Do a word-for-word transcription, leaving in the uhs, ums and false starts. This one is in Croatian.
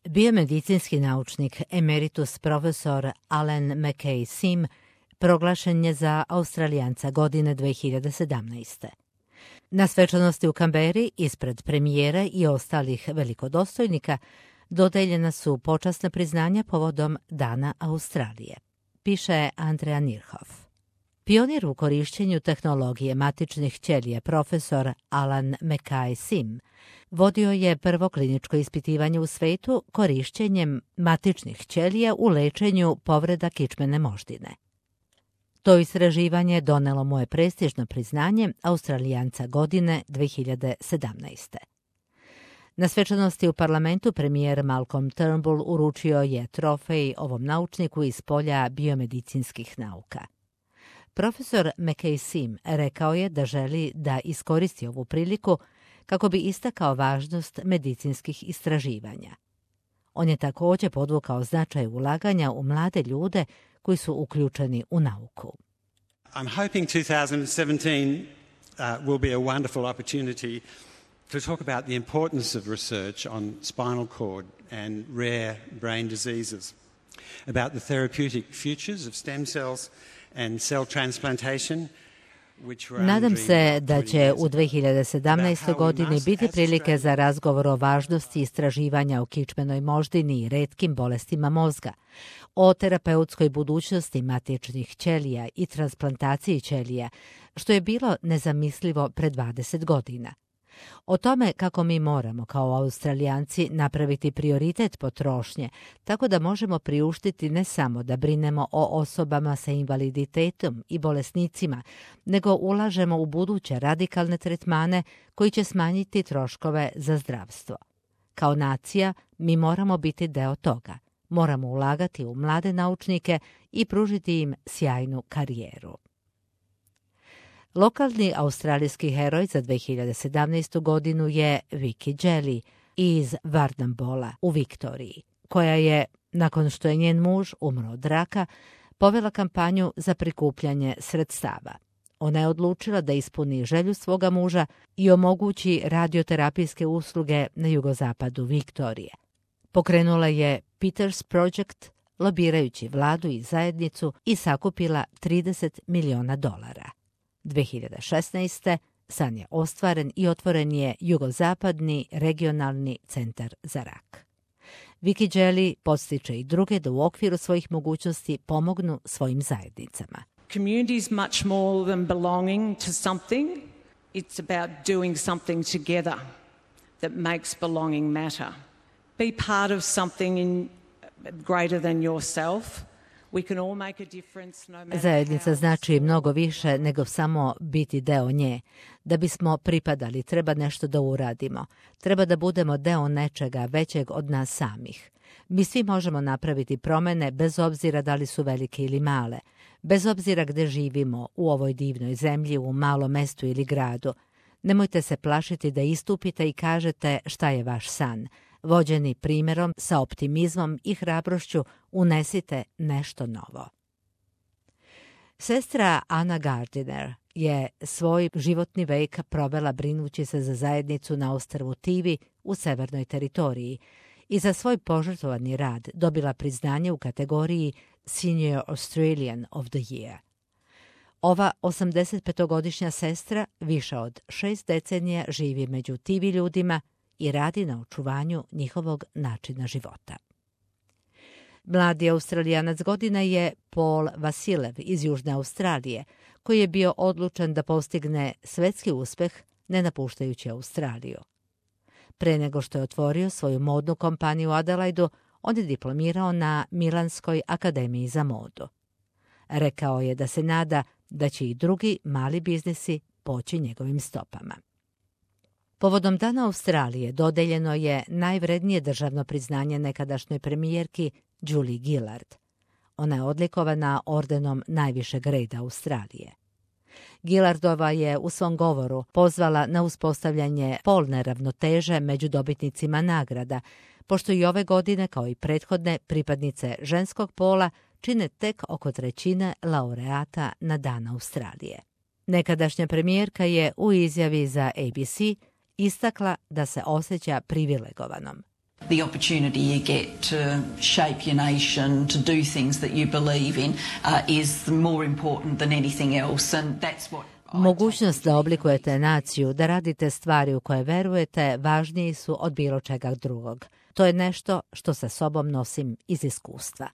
Biomedicinski naučnik emeritus profesor Alan McKay Sim proglašen je za Australijanca godine dve hiljade sedamnaeste. Na svečanosti u Kamberi ispred premijera i ostalih velikodostojnika dodeljena su počasna priznanja povodom Dana Australije, piše Andrea Nirhoff. Pionir u korišćenju tehnologije matičnih ćelija profesor Alan McKay Sim vodio je prvo kliničko ispitivanje u svetu korišćenjem matičnih ćelija u lečenju povreda kičmene moždine. To istraživanje donelo mu je prestižno priznanje Australijanca godine dve hiljade sedamnaeste. Na svečanosti u parlamentu premijer Malcolm Turnbull uručio je trofej ovom naučniku iz polja biomedicinskih nauka. Profesor McKay Sim rekao je da želi da iskoristi ovu priliku kako bi istakao važnost medicinskih istraživanja. On je također podvukao značaj ulaganja u mlade ljude koji su uključeni u nauku. I'm hoping two thousand seventeen uh, will be a wonderful opportunity to talk about the importance of research on spinal cord and rare brain diseases, about the therapeutic futures of stem cells and cell transplantation. Nadam se da će u dve hiljade sedamnaestoj. godini biti prilike za razgovor o važnosti istraživanja o kičmenoj moždini i retkim bolestima mozga, o terapeutskoj budućnosti matičnih ćelija i transplantaciji ćelija, što je bilo nezamislivo pre dvadeset godina. O tome kako mi moramo kao Australijanci napraviti prioritet potrošnje, tako da možemo priuštiti ne samo da brinemo o osobama sa invaliditetom i bolesnicima, nego ulažemo u buduće radikalne tretmane koji će smanjiti troškove za zdravstvo. Kao nacija mi moramo biti deo toga. Moramo ulagati u mlade naučnike i pružiti im sjajnu karijeru. Lokalni australijski heroj za dve hiljade sedamnaestu. godinu je Vicky Jelly iz Warrnambola u Viktoriji, koja je, nakon što je njen muž umro od raka, povela kampanju za prikupljanje sredstava. Ona je odlučila da ispuni želju svoga muža i omogući radioterapijske usluge na jugozapadu Viktorije. Pokrenula je Peters Project, lobirajući vladu i zajednicu, i sakupila trideset miliona dolara. dve hiljade šesnaeste. san je ostvaren i otvoren je jugozapadni regionalni centar za rak. Vicky Jelly podstiče i druge da u okviru svojih mogućnosti pomognu svojim zajednicama. Community is much more than belonging to something. It's about doing something together that makes belonging matter. Be part of something in greater than yourself. Zajednica znači mnogo više nego samo biti deo nje. Da bismo pripadali, treba nešto da uradimo. Treba da budemo deo nečega većeg od nas samih. Mi svi možemo napraviti promene bez obzira da li su velike ili male. Bez obzira gde živimo, u ovoj divnoj zemlji, u malom mestu ili gradu. Nemojte se plašiti da istupite i kažete šta je vaš san. Vođeni primjerom, sa optimizmom i hrabrošću, unesite nešto novo. Sestra Anna Gardiner je svoj životni vek provela brinući se za zajednicu na ostrvu Tivi u Severnoj teritoriji i za svoj požrtvovani rad dobila priznanje u kategoriji Senior Australian of the Year. Ova osamdesetpetogodišnja sestra više od šest decenija živi među Tivi ljudima i radi na očuvanju njihovog načina života. Mladi Australijanac godine je Paul Vasilev iz Južne Australije, koji je bio odlučan da postigne svetski uspeh ne napuštajući Australiju. Pre nego što je otvorio svoju modnu kompaniju u Adelaidu, on je diplomirao na Milanskoj akademiji za modu. Rekao je da se nada da će i drugi mali biznisi poći njegovim stopama. Povodom Dana Australije dodeljeno je najvrednije državno priznanje nekadašnjoj premijerki Julie Gillard. Ona je odlikovana ordenom najvišeg reda Australije. Gillardova je u svom govoru pozvala na uspostavljanje polne ravnoteže među dobitnicima nagrada, pošto i ove godine, kao i prethodne, pripadnice ženskog pola čine tek oko trećine laureata na Dan Australije. Nekadašnja premijerka je u izjavi za A B C istakla da se osjeća privilegovanom. The opportunity you get to shape your nation, to do things that you believe in, uh, is more important than anything else, and that's what Mogućnost da oblikujete naciju, da radite stvari u koje verujete, važniji su od bilo čega drugog. To je nešto što sa sobom nosim iz iskustva.